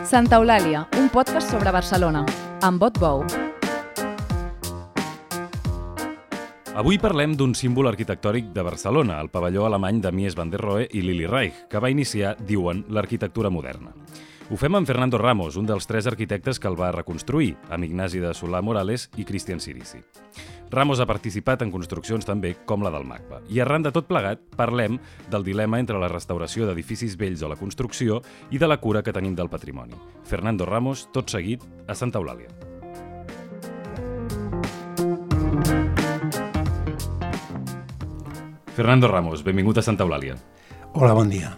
Santa Eulàlia, un podcast sobre Barcelona, amb Bot Bou. Avui parlem d'un símbol arquitectònic de Barcelona, el pavelló alemany de Mies van der Rohe i Lili Reich, que va iniciar, diuen, l'arquitectura moderna. Ho fem amb Fernando Ramos, un dels 3 arquitectes que el va reconstruir, amb Ignasi de Solà-Morales i Cristian Cirici. Ramos ha participat en construccions també com la del MACBA. I arran de tot plegat, parlem del dilema entre la restauració d'edificis vells o la construcció i de la cura que tenim del patrimoni. Fernando Ramos, tot seguit, a Santa Eulàlia. Fernando Ramos, benvingut a Santa Eulàlia. Hola, bon dia.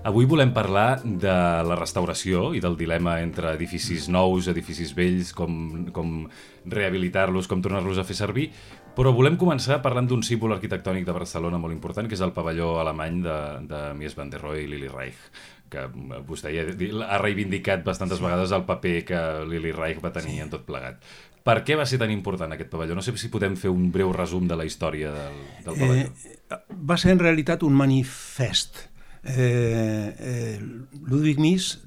Avui volem parlar de la restauració i del dilema entre edificis nous, edificis vells, com rehabilitar-los, com tornar-los a fer servir, però volem començar parlant d'un símbol arquitectònic de Barcelona molt important, que és el pavelló alemany de Mies van der Rohe i Lili Reich, que vostè ja ha reivindicat bastantes vegades el paper que Lili Reich va tenir en tot plegat. Per què va ser tan important aquest pavelló? No sé si podem fer un breu resum de la història del pavelló. Va ser en realitat un manifest. Ludwig Mies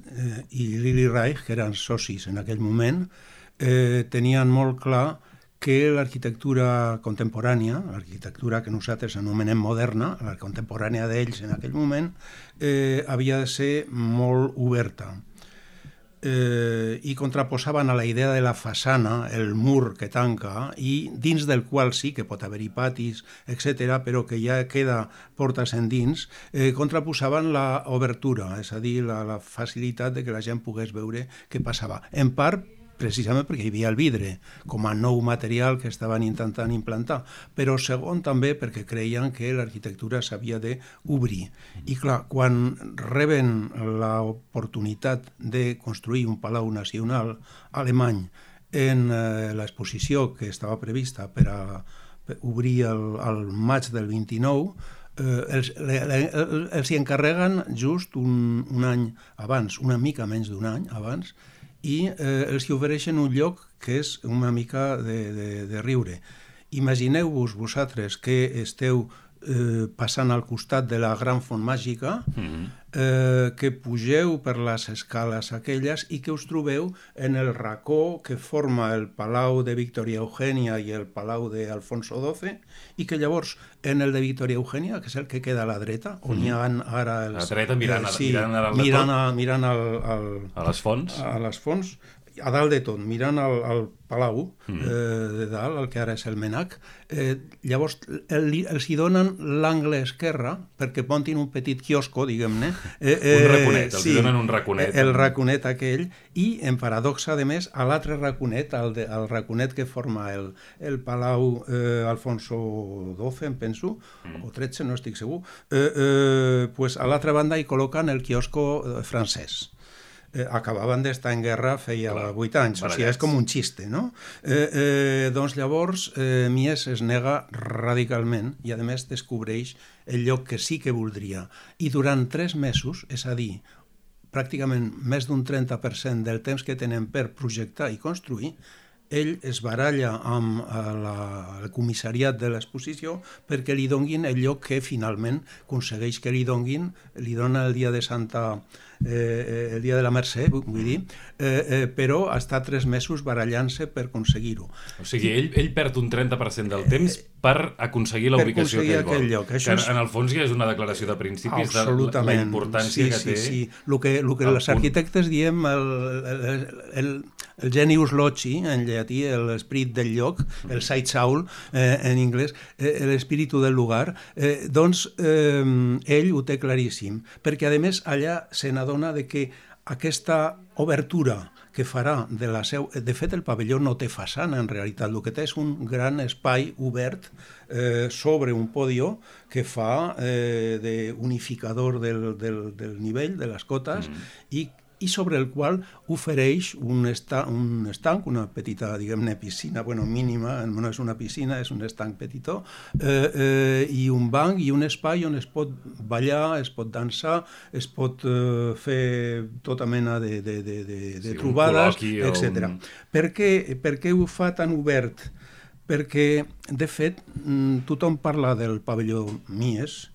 i Lili Reich, que eren socis en aquell moment, tenien molt clar que l'arquitectura contemporània, l'arquitectura que nosaltres anomenem moderna, la contemporània d'ells en aquell moment, havia de ser molt oberta. I contraposaven a la idea de la façana, el mur que tanca, i dins del qual sí que pot haver-hi patis, etc., però que ja queda portes endins, contraposaven la obertura, és a dir, la facilitat de que la gent pogués veure què passava. En part, precisament perquè hi havia el vidre, com a nou material que estaven intentant implantar, però segon també perquè creien que l'arquitectura s'havia d'obrir. I clar, quan reben l'oportunitat de construir un palau nacional alemany en l'exposició que estava prevista per a obrir el maig del 29, els hi encarreguen just un any abans, una mica menys d'un any abans, i els hi ofereixen un lloc que és una mica de riure. Imagineu-vos vosaltres que esteu passant al costat de la gran font màgica, que pugeu per les escales aquelles i que us trobeu en el racó que forma el Palau de Victoria Eugènia i el Palau d'Alfonso XII, i que llavors en el de Victoria Eugènia, que és el que queda a la dreta, on hi ha ara els... A la dreta, mirant a les fonts. A les fonts, a dalt de tot, mirant al Palau de dalt, el que ara és el Menac, llavors els hi donen l'angle esquerre perquè montin un petit quiosco, diguem-ne. Un raconet, els hi donen un raconet. El raconet aquell, i en paradoxa, a més, a l'altre raconet, el raconet que forma el Palau Alfonso XII, em penso, o XIII, no estic segur, pues a l'altra banda hi col·loquen el quiosco francès. Acabaven d'estar en guerra feia 8 anys, o sigui, és com un xiste, no? Doncs llavors Mies es nega radicalment i a més descobreix el lloc que sí que voldria, i durant 3 mesos, és a dir, pràcticament més d'un 30% del temps que tenen per projectar i construir, ell es baralla amb el comissariat de l'exposició perquè li donguin el lloc que finalment aconsegueix que li donguin, li dona el dia de el dia de la Mercè, vull dir, però està 3 mesos barallant-se per aconseguir-ho. O sigui, ell perd un 30% del temps per aconseguir la ubicació que ell vol. Lloc. Que en el fons ja és una declaració de principis de la importància que té. Sí. El que els arquitectes diem el genius loci, en llatí, l'esperit del lloc, el Zeitsaul, en anglès, l'espíritu del lugar, doncs ell ho té claríssim, perquè a més allà se n'adona de que aquesta obertura que farà de la seu... De fet, el pavelló no té façana, en realitat. El que té és un gran espai obert sobre un podio que fa d'unificador del nivell, de les cotes, i sobre el qual ofereix un estanc, una petita, diguem-ne, piscina, mínima, no és una piscina, és un estanc petitó, i un banc i un espai on es pot ballar, es pot dansar, es pot fer tota mena de trobades, etc. Per què ho fa tan obert? Perquè, de fet, tothom parla del pavelló Mies,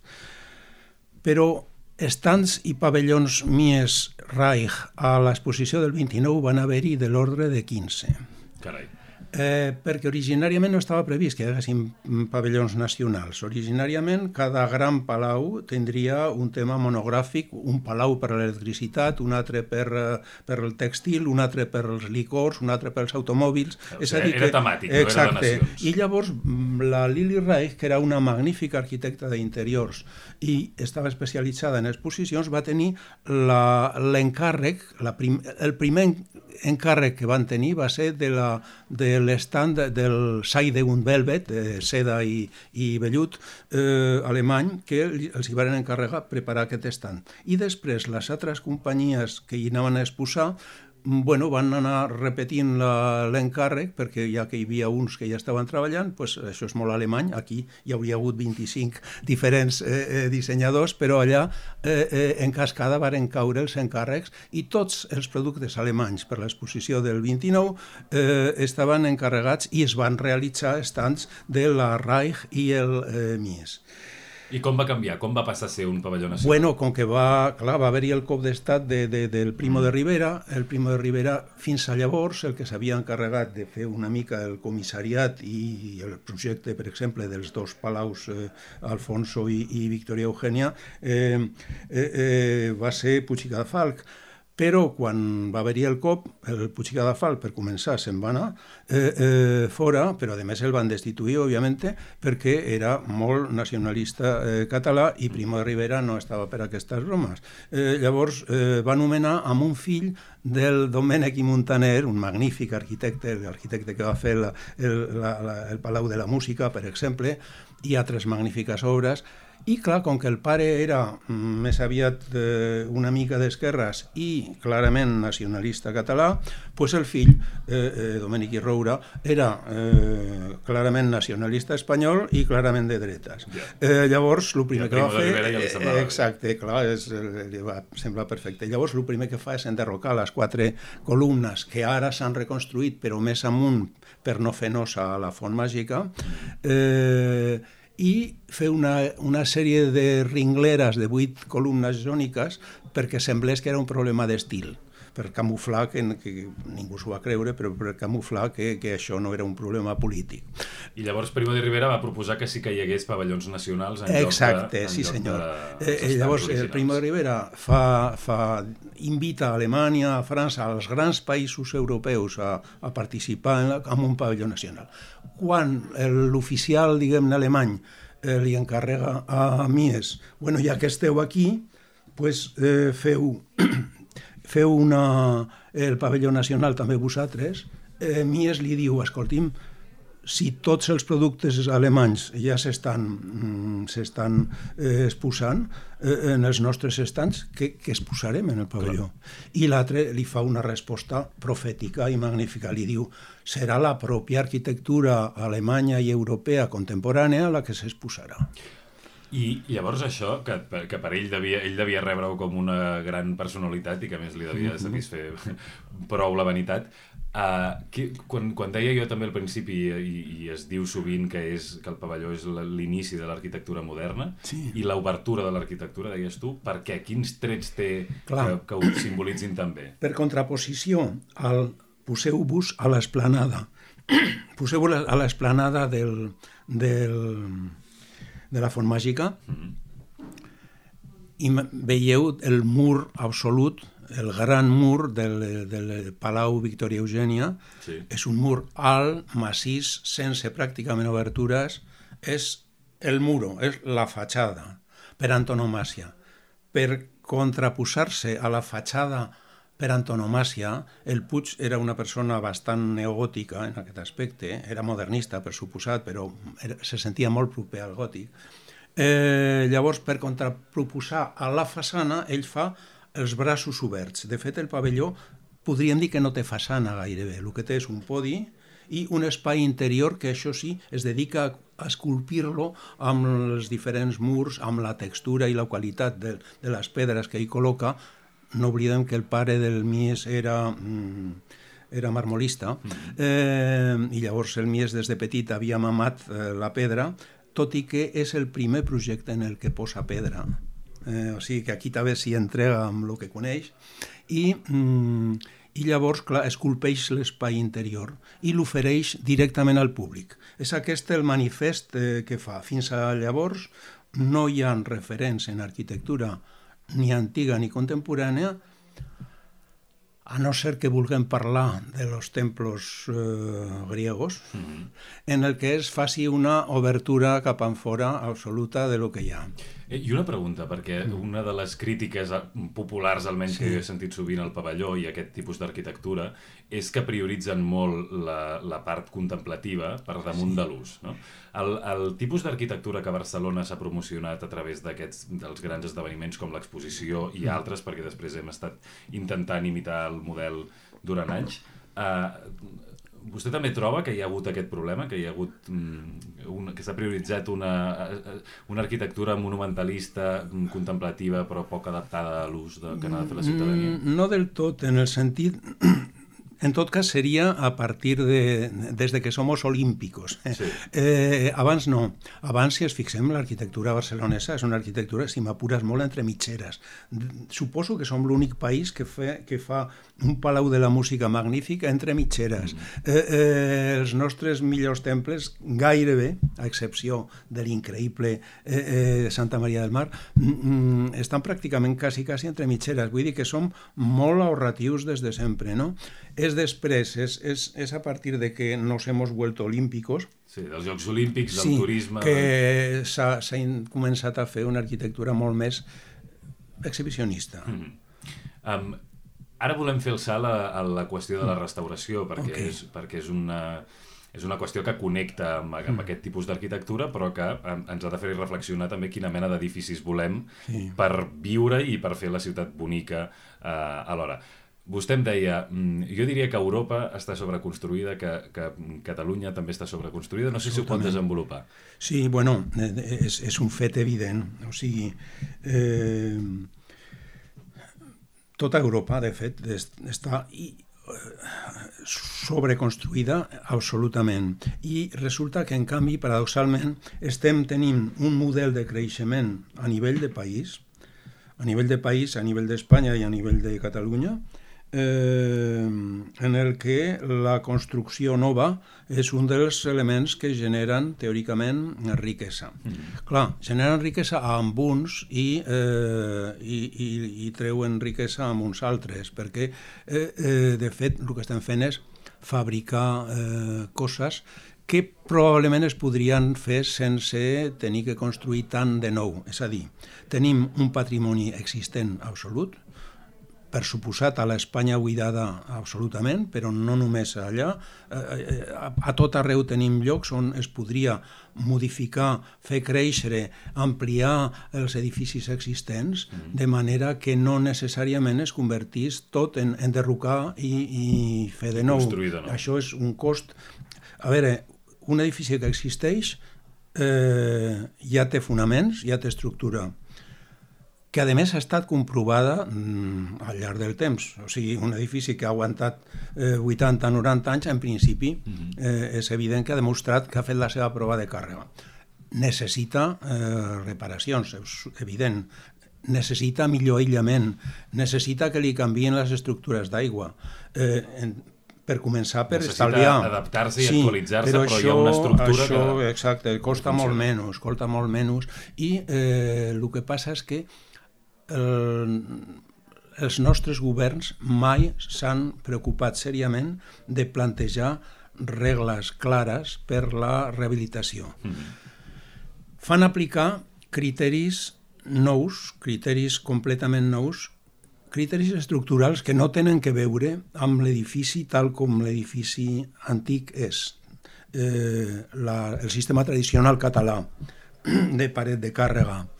però Estants i pavellons Mies Reich a l'exposició del 29 van haver-hi de l'ordre de 15. Carai. Perquè originàriament no estava previst que hi haguessin pavellons nacionals. Originàriament cada gran palau tindria un tema monogràfic, un palau per a l'electricitat, un altre per el tèxtil, un altre per als licors, un altre pels automòbils. Era temàtic, no era de nacions. I llavors la Lili Reich, que era una magnífica arquitecta d'interiors i estava especialitzada en exposicions, va tenir l'encàrrec, el primer encàrrec que van tenir va ser de l'estand del Seide und Velvet, de seda i vellut alemany, que els hi van encarregar preparar aquest estand. I després les altres companyies que hi anaven a exposar van anar repetint l'encàrrec, perquè ja que hi havia uns que ja estaven treballant, això és molt alemany, aquí hi hauria hagut 25 diferents dissenyadors, però allà en cascada varen caure els encàrrecs i tots els productes alemanys per l'exposició del 29 estaven encarregats i es van realitzar estands de la Reich i el Mies. I com va canviar? Com va passar a ser un pavelló nacional? Bueno, com que va haver-hi el cop d'estat del Primo de Rivera, el Primo de Rivera fins a llavors el que s'havia encarregat de fer una mica el comissariat i el projecte, per exemple, dels dos palaus Alfonso i Victoria Eugènia va ser Puig i Cadafalch. Però quan va haver-hi el cop, el Puig i Cadafalch, per començar, se'n va anar fora, però a més el van destituir, òbviament, perquè era molt nacionalista català i Primo de Rivera no estava per aquestes bromes. Llavors va nomenar amb un fill del Domènec i Montaner, un magnífic arquitecte, l'arquitecte que va fer el Palau de la Música, per exemple, i altres magnífiques obres. I clar, com que el pare era més aviat una mica d'esquerres i clarament nacionalista català, doncs el fill, Domènec i Roura, era clarament nacionalista espanyol i clarament de dretes. Llavors, el primer que va fer... Exacte, clar, li va semblar perfecte. Llavors, el primer que fa és enderrocar les 4 columnes que ara s'han reconstruït, però més amunt per no fer nosa a la Font Màgica, i fer una sèrie de ringleres de 8 columnes jòniques perquè semblés que era un problema d'estil, per camuflar, que ningú s'ho va creure, però per camuflar que això no era un problema polític. I llavors Primo de Rivera va proposar que sí que hi hagués pavellons nacionals en Exacte, sí senyor. Llavors el Primo de Rivera invita a Alemanya, a França, als grans països europeus a participar en un pavelló nacional. Quan l'oficial, diguem-ne, alemany li encarrega a Mies, bueno, ja que esteu aquí, doncs feu el pavelló nacional també vosaltres. Mies li diu, escolti'm, si tots els productes alemanys ja s'estan exposant en els nostres estants, què exposarem en el pavelló? I l'altre li fa una resposta profètica i magnífica. Li diu, serà la pròpia arquitectura alemanya i europea contemporània la que s'exposarà. I llavors això, que per ell devia rebre-ho com una gran personalitat i que a més li devia satisfer prou la vanitat, quan deia jo també al principi i es diu sovint que el pavelló és l'inici de l'arquitectura moderna i l'obertura de l'arquitectura, deies tu, per què? Quins trets té que ho simbolitzin també? Per contraposició, poseu-vos a l'esplanada. Poseu-vos a l'esplanada de la Font Màgica i veieu el mur absolut, el gran mur del Palau Victoria Eugènia. És un mur alt, massís, sense pràcticament obertures. És el muro, és la fatxada per antonomàsia. Per contraposar-se a la fatxada per antonomàsia, el Puig era una persona bastant neogòtica en aquest aspecte, era modernista per suposat, però se sentia molt proper al gòtic. Llavors, per contraproposar a la façana, ell fa els braços oberts. De fet, el pavelló podríem dir que no té façana gairebé, el que té és un podi i un espai interior que, això sí, es dedica a esculpir-lo amb els diferents murs, amb la textura i la qualitat de les pedres que hi col·loca. No oblidem que el pare del Mies era marmolista i llavors el Mies des de petit havia mamat la pedra, tot i que és el primer projecte en el que posa pedra o sigui que aquí també s'hi entrega amb el que coneix, i llavors, clar, esculpeix l'espai interior i l'ofereix directament al públic. És aquest el manifest que fa. Fins a llavors no hi ha referents en arquitectura ni antiga ni contemporània, a no ser que vulguem parlar de los templos griegos, en el que es faci una obertura cap enfora absoluta de lo que hi ha. I una pregunta, perquè una de les crítiques populars, almenys que jo he sentit sovint al pavelló i aquest tipus d'arquitectura, és que prioritzen molt la part contemplativa per damunt de l'ús, no? El tipus d'arquitectura que a Barcelona s'ha promocionat a través dels grans esdeveniments com l'exposició i altres, perquè després hem estat intentant imitar el model durant anys, vostè també troba que hi ha hagut aquest problema, que hi ha hagut que s'ha prioritzat una arquitectura monumentalista, contemplativa, però poc adaptada a l'ús que n'ha de fer la ciutadania? No del tot, en el sentit... En tot cas, seria a partir desde que somos olímpicos. Sí. Abans no. Abans, si ens fixem, l'arquitectura barcelonesa és una arquitectura, si m'apures, molt entre mitgeres. Suposo que som l'únic país que fa un palau de la música magnífic entre mitgeres. Els nostres millors temples, gairebé, a excepció de l'increïble Santa Maria del Mar, estan pràcticament quasi entre mitgeres. Vull dir que som molt ahorratius des de sempre, no? És després, és a partir de que nos hemos vuelto olímpicos. Sí, dels Jocs Olímpics, del turisme... que s'ha començat a fer una arquitectura molt més exhibicionista. Ara volem fer el salt a la qüestió de la restauració, perquè és una qüestió que connecta amb aquest tipus d'arquitectura, però que ens ha de fer reflexionar també quina mena d'edificis volem per viure i per fer la ciutat bonica alhora. Vostè em deia, jo diria que Europa està sobreconstruïda, que Catalunya també està sobreconstruïda, no sé si ho pot desenvolupar. Sí, bueno, és un fet evident, o sigui, tota Europa, de fet, està sobreconstruïda absolutament, i resulta que, en canvi, paradoxalment, estem tenint un model de creixement a nivell de país, a nivell d'Espanya i a nivell de Catalunya, en el que la construcció nova és un dels elements que generen, teòricament, riquesa. Clar, generen riquesa amb uns i treuen riquesa amb uns altres, perquè, de fet, el que estem fent és fabricar coses que probablement es podrien fer sense tenir que construir tant de nou. És a dir, tenim un patrimoni existent absolut, per suposat a l'Espanya buidada absolutament, però no només allà. A tot arreu tenim llocs on es podria modificar, fer créixer, ampliar els edificis existents, de manera que no necessàriament es convertís tot en derrocar i fer de nou. Això és un cost... A veure, un edifici que existeix ja té fonaments, ja té estructura, que a més ha estat comprovada al llarg del temps. O sigui, un edifici que ha aguantat 80-90 anys, en principi, és evident que ha demostrat que ha fet la seva prova de càrrega. Necessita reparacions, és evident. Necessita millor aïllament. Necessita que li canvien les estructures d'aigua. Per començar, per estalviar. Necessita adaptar-se i actualitzar-se, però hi ha una estructura que... Exacte, costa molt menys. I el que passa és que els nostres governs mai s'han preocupat seriament de plantejar regles clares per la rehabilitació. Fan aplicar criteris nous, criteris completament nous, criteris estructurals que no tenen que veure amb l'edifici tal com l'edifici antic és. El sistema tradicional català de paret de càrrega,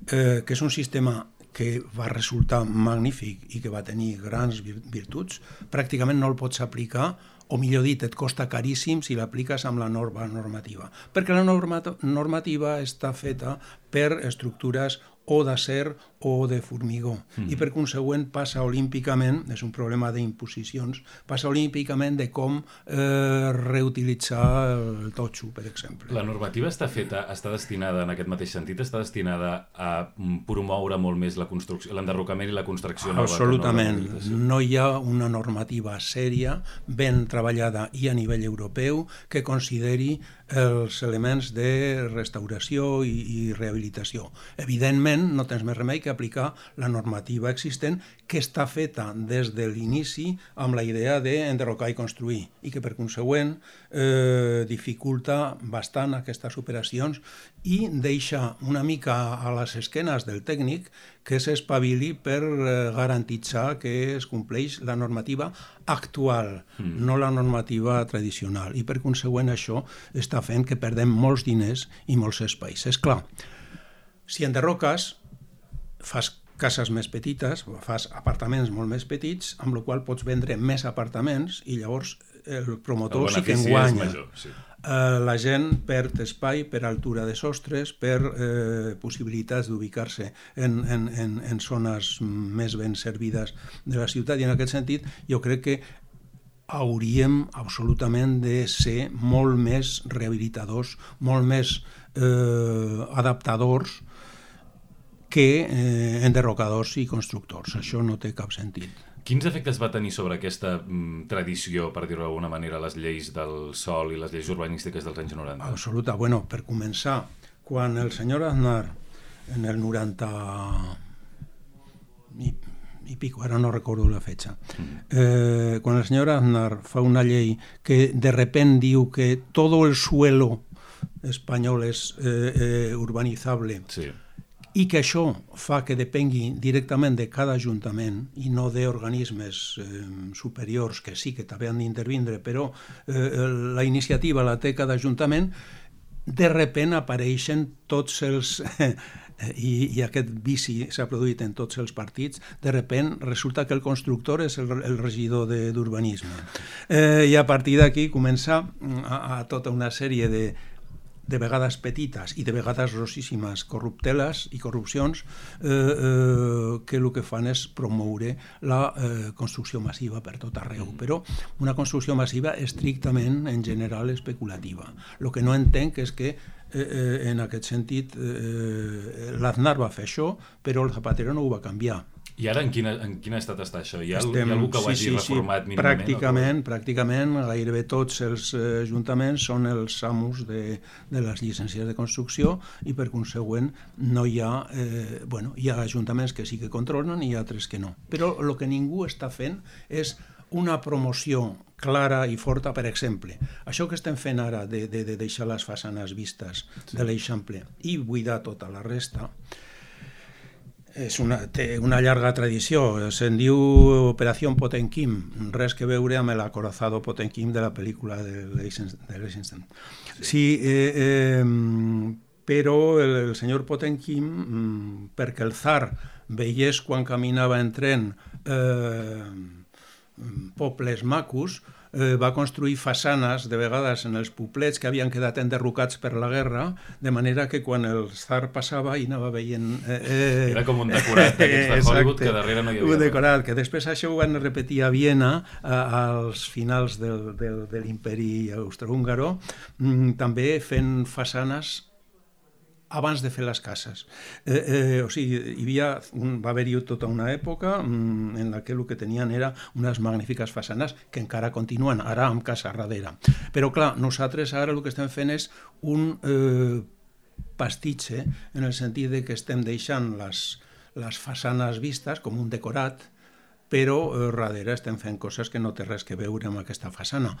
que és un sistema que va resultar magnífic i que va tenir grans virtuts, pràcticament no el pots aplicar, o millor dit, et costa caríssim si l'apliques amb la norma normativa, perquè la normativa està feta per estructures o d'acer o de formigó. I per consegüent passa olímpicament, és un problema d'imposicions, passa olímpicament de com reutilitzar el totxo, per exemple. La normativa està destinada, en aquest mateix sentit, està destinada a promoure molt més la construcció, l'enderrocament i la construcció nova. Absolutament. No hi ha una normativa sèria, ben treballada i a nivell europeu, que consideri els elements de restauració i rehabilitació. Evidentment, no tens més remei que aplicar la normativa existent, que està feta des de l'inici amb la idea d'enderrocar i construir, i que per consegüent dificulta bastant aquestes operacions i deixa una mica a les esquenes del tècnic que s'espavili per garantitzar que es compleix la normativa actual, no la normativa tradicional. I per consegüent això està fent que perdem molts diners i molts espais. És clar, si enderroques, fas cases més petites, fas apartaments molt més petits, amb la qual pots vendre més apartaments i llavors el promotor sí que en guanya. La gent perd espai per altura de sostres, per possibilitats d'ubicar-se en zones més ben servides de la ciutat, i en aquest sentit jo crec que hauríem absolutament de ser molt més rehabilitadors, molt més adaptadors que enderrocadors i constructors. Això no té cap sentit. Quins efectes va tenir sobre aquesta tradició, per dir-ho d'alguna manera, les lleis del sòl i les lleis urbanístiques dels anys 90? Absoluta. Bueno, per començar, quan el senyor Aznar, en el 90 i pico, ara no recordo la fecha, quan el senyor Aznar fa una llei que de repente diu que todo el suelo espanyol és urbanizable, sí, i que això fa que depengui directament de cada ajuntament i no d'organismes superiors que sí que també han d'intervindre, però la iniciativa la té cada ajuntament, de repent apareixen tots els... i aquest vici s'ha produït en tots els partits, de repent resulta que el constructor és el regidor d'urbanisme. I a partir d'aquí comença a tota una sèrie de vegades petites i de vegades grossíssimes corrupteles i corrupcions que el que fan és promoure la construcció massiva per tot arreu, però una construcció massiva estrictament, en general, especulativa. El que no entenc és que en aquest sentit l'Aznar va fer això, però el Zapatero no ho va canviar. I ara en quin estat està això? Hi ha algú que ho hagi reformat mínimament? Pràcticament, gairebé tots els ajuntaments són els amos de les llicències de construcció i per consegüent no hi ha... hi ha ajuntaments que sí que controlen i altres que no. Però el que ningú està fent és una promoció clara i forta, per exemple. Això que estem fent ara de deixar les façanes vistes de l'Eixample i buidar tota la resta té una llarga tradició, se'n diu Operació Potemkin, res que veure amb l'acorazado Potemkin de la pel·lícula de l'Eisenstein. Sí, però el senyor Potemkin, perquè el zar veiés quan caminava en tren pobles macos, va construir façanes, de vegades en els poblets que havien quedat enderrocats per la guerra, de manera que quan el zar passava i anava veient... Era com un decorat d'aquests de Hollywood que darrere no hi havia. Un decorat, que després això ho van repetir a Viena als finals de l'imperi austrohúngaro, també fent façanes abans de fer les cases. O sigui, va haver-hi tota una època en la que el que tenien era unes magnífiques façanes que encara continuen, ara amb casa darrere. Però clar, nosaltres ara el que estem fent és un pastitxe, en el sentit que estem deixant les façanes vistes com un decorat, però darrere estem fent coses que no té res que veure amb aquesta façana.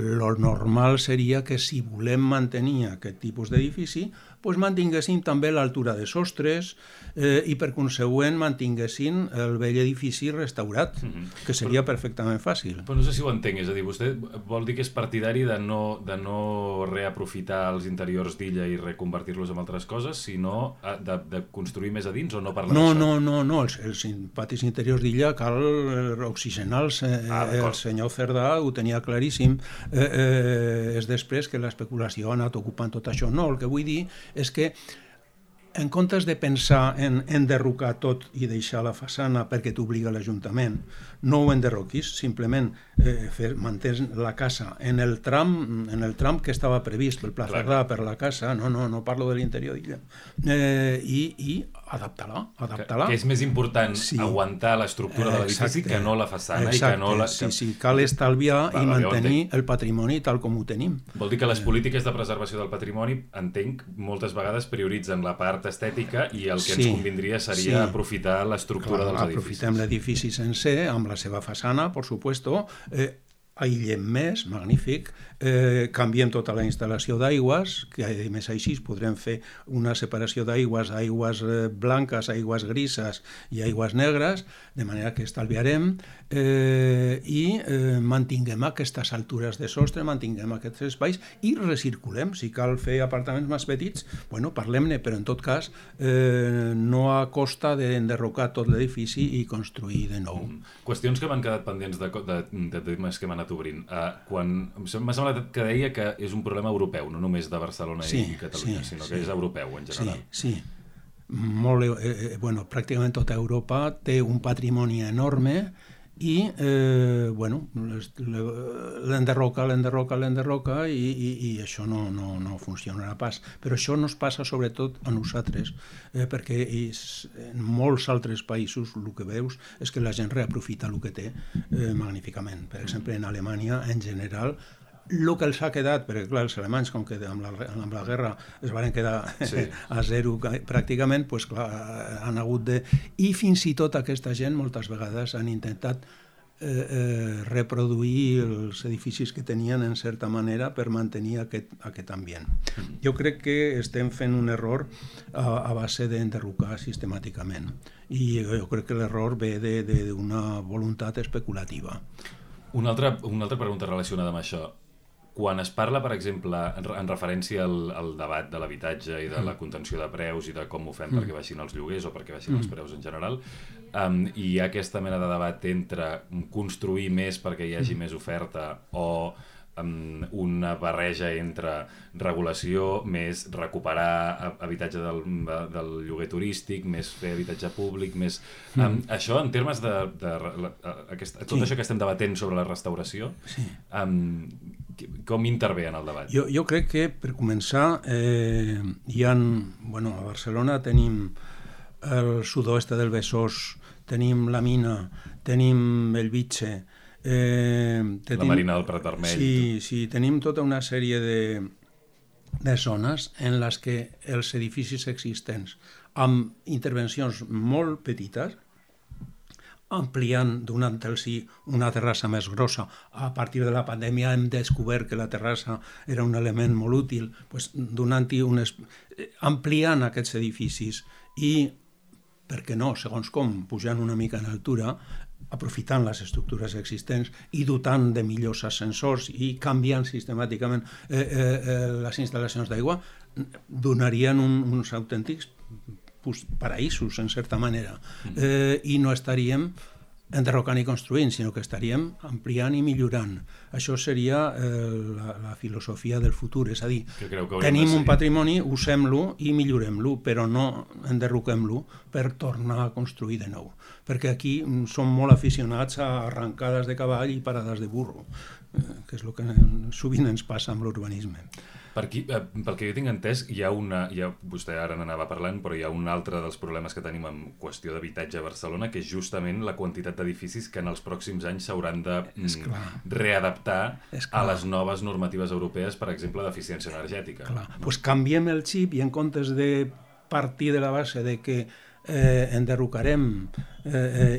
Lo normal seria que si volem mantenir aquest tipus d'edifici, mantinguessin també l'altura de sostres i per consegüent mantinguessin el vell edifici restaurat, que seria perfectament fàcil. Però no sé si ho entenc, és a dir, vostè vol dir que és partidari de no reaprofitar els interiors d'Illa i reconvertir-los en altres coses, sinó de construir més a dins o no parlar d'això? No, els patis interiors d'Illa cal oxigenar-los. El senyor Cerdà ho tenia claríssim. És després que l'especulació ha anat ocupant tot això. No, el que vull dir és que en comptes de pensar en enderrocar tot i deixar la façana perquè t'obliga l'Ajuntament, no ho enderroquis, simplement mantens la casa en el tram que estava previst pel Pla Cerdà, per la casa, no parlo de l'interior d'illa, i adaptar-la. Que és més important aguantar l'estructura de l'edifici que no la façana. Sí, cal estalviar i mantenir el patrimoni tal com ho tenim. Vol dir que les polítiques de preservació del patrimoni, entenc, moltes vegades prioritzen la part estètica i el que ens convindria seria aprofitar l'estructura dels edificis. Aprofitem l'edifici sencer, amb la seva façana, per supuesto, aïllem més, magnífic, canviem tota la instal·lació d'aigües, que a més així podrem fer una separació d'aigües, aigües blanques, aigües grises i aigües negres, de manera que estalviarem i mantinguem aquestes altures de sostre, mantinguem aquests espais i recirculem. Si cal fer apartaments més petits, parlem-ne, però en tot cas no a costa d'enderrocar tot l'edifici i construir de nou. Qüestions que m'han quedat pendents de temes que m'han anat obrint. M'ha semblat que deia que és un problema europeu, no només de Barcelona i Catalunya, sinó que és europeu en general. Sí. Pràcticament tota Europa té un patrimoni enorme i l'enderroca i això no funcionarà pas. Però això no es passa sobretot a nosaltres, perquè en molts altres països el que veus és que la gent reaprofita el que té magníficament. Per exemple, en Alemanya, en general, el que els ha quedat, perquè clar, els alemanys, com que amb la guerra es van quedar a zero pràcticament, han hagut de... I fins i tot aquesta gent moltes vegades han intentat reproduir els edificis que tenien en certa manera per mantenir aquest ambient. Jo crec que estem fent un error a base d'enderrocar sistemàticament i jo crec que l'error ve d'una voluntat especulativa. Una altra pregunta relacionada amb això. Quan es parla, per exemple, en referència al debat de l'habitatge i de la contenció de preus i de com ho fem perquè baixin els lloguers o perquè baixin els preus en general, i hi ha aquesta mena de debat entre construir més perquè hi hagi més oferta o una barreja entre regulació, més recuperar habitatge del lloguer turístic, més fer habitatge públic, més... Això, en termes de tot això que estem debatent sobre la restauració, com intervé en el debat? Jo crec que, per començar, a Barcelona tenim el sud-oest del Besòs, tenim la Mina, tenim el Vitge, la Marina del Prat Vermell. Sí, tenim tota una sèrie de zones en les que els edificis existents, amb intervencions molt petites, ampliant, donant-los una terrassa més grossa. A partir de la pandèmia hem descobert que la terrassa era un element molt útil, donant-hi ampliant aquests edificis i, per què no, segons com, pujant una mica en altura, aprofitant les estructures existents i dotant de millors ascensors i canviant sistemàticament les instal·lacions d'aigua, donarien uns autèntics paraïsos, en certa manera. I no estaríem enderrocant i construint, sinó que estaríem ampliant i millorant. Això seria la filosofia del futur, és a dir, tenim un patrimoni, usem-lo i millorem-lo, però no enderroquem-lo per tornar a construir de nou. Perquè aquí som molt aficionats a arrancades de cavall i parades de burro, que és el que sovint ens passa amb l'urbanisme. Pel que jo tinc entès, vostè ara n'anava parlant, però hi ha un altre dels problemes que tenim en qüestió d'habitatge a Barcelona, que és justament la quantitat d'edificis que en els pròxims anys s'hauran de readaptar a les noves normatives europees, per exemple, d'eficiència energètica. Doncs canviem el xip i en comptes de partir de la base de que enderrocarem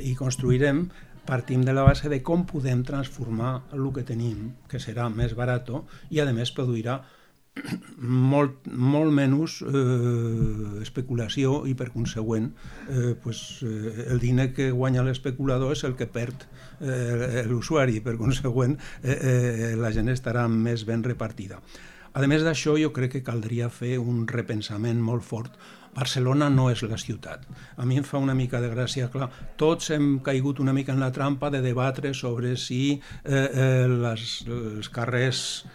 i construirem, partim de la base de com podem transformar el que tenim, que serà més barat i, a més, produirà molt menys especulació i, per consegüent, el diner que guanya l'especulador és el que perd l'usuari. Per consegüent, la gent estarà més ben repartida. A més d'això, jo crec que caldria fer un repensament molt fort. Barcelona no és la ciutat. A mi em fa una mica de gràcia, clar, tots hem caigut una mica en la trampa de debatre sobre si els carrers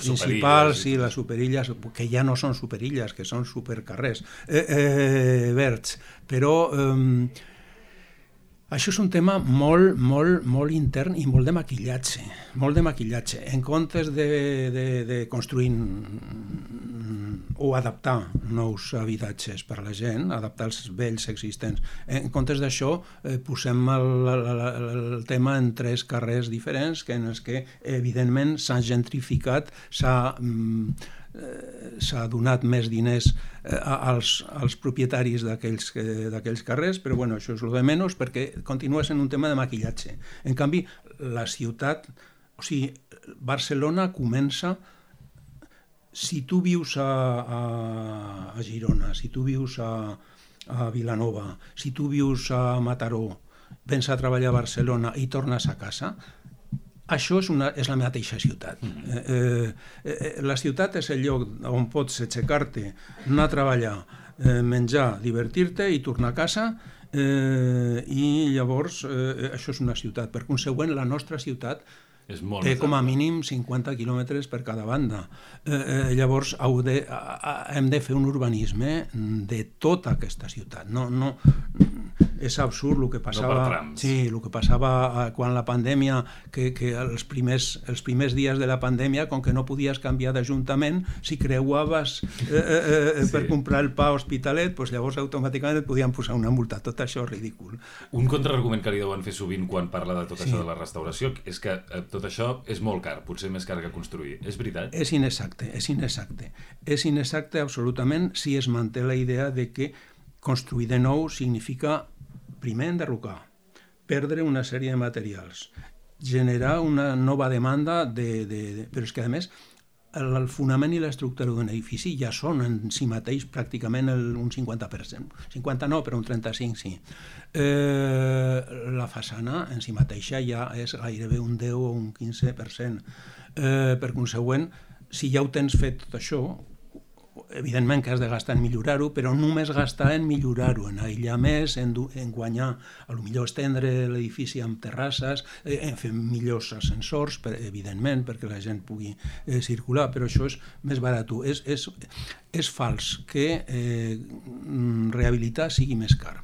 principals i les superilles, que ja no són superilles, que són supercarrers verds, però això és un tema molt intern i molt de maquillatge, En comptes de construir o adaptar nous habitatges per a la gent, adaptar els vells existents, en comptes d'això posem el tema en 3 carrers diferents en els que evidentment s'ha gentrificat, s'ha donat més diners als propietaris d'aquells carrers, però bueno, això és el de menys perquè continua sent un tema de maquillatge. En canvi, la ciutat, o sigui, Barcelona comença. Si tu vius a Girona, si tu vius a Vilanova, si tu vius a Mataró, vens a treballar a Barcelona i tornes a casa, això és la mateixa ciutat. La ciutat és el lloc on pots aixecar-te, anar a treballar, menjar, divertir-te i tornar a casa, i llavors això és una ciutat. Per consegüent, la nostra ciutat té com a mínim 50 quilòmetres per cada banda. Llavors hem de fer un urbanisme de tota aquesta ciutat. És absurd el que passava, el que passava quan la pandèmia, que els primers dies de la pandèmia, com que no podies canviar d'ajuntament, si creuaves per comprar el pa a Hospitalet, llavors automàticament et podien posar una multa. Tot això és ridícul. Un contraargument que li deuen fer sovint quan parla de tot això de la restauració és que tot això és molt car, potser més car que construir. És veritat? És inexacte. És inexacte absolutament si es manté la idea de que construir de nou significa primer enderrocar, perdre una sèrie de materials, generar una nova demanda però és que a més el fonament i l'estructura d'un edifici ja són en si mateix pràcticament un 50%. 50 no, però un 35 sí. La façana en si mateixa ja és gairebé un 10 o un 15%. Per consegüent, si ja ho tens fet tot això, evidentment que has de gastar en millorar-ho, però només gastar en millorar-ho, en aïllar més, en guanyar, potser estendre l'edifici amb terrasses, en fer millors ascensors, evidentment, perquè la gent pugui circular, però això és més barat. És fals que rehabilitar sigui més car.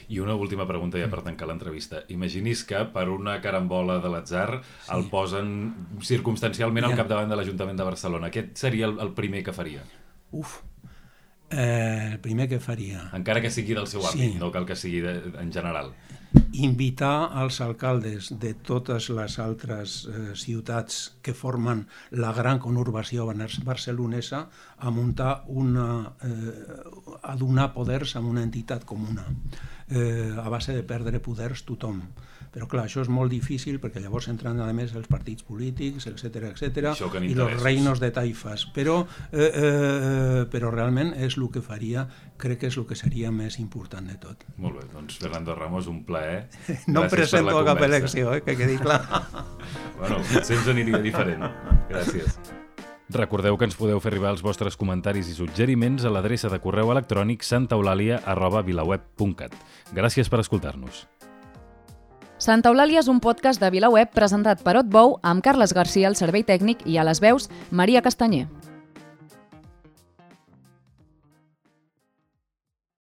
I una última pregunta ja per tancar l'entrevista. Imaginis que per una carambola de l'atzar el posen circumstancialment al capdavant de l'Ajuntament de Barcelona. Aquest seria el primer que faria? El primer que faria... Encara que sigui del seu àmbit, no cal que sigui en general. Invitar els alcaldes de totes les altres ciutats que formen la gran conurbació barcelonesa a muntar a donar poders a una entitat comuna, a base de perdre poders tothom. Però clar, això és molt difícil perquè llavors entran a més els partits polítics, etc i els reinos de taifes. Però realment és el que faria, crec que és el que seria més important de tot. Molt bé, doncs Fernando Ramos, un plaer. No em presento a cap elecció, que quedi clar. Bueno, potser ens aniria diferent. Gràcies. Recordeu que ens podeu fer arribar els vostres comentaris i suggeriments a l'adreça de correu electrònic santaeulàlia@vilaweb.cat. Gràcies per escoltar-nos. Santa Eulàlia és un podcast de VilaWeb presentat per Otbou amb Carles Garcia al servei tècnic i a les veus Maria Castanyer.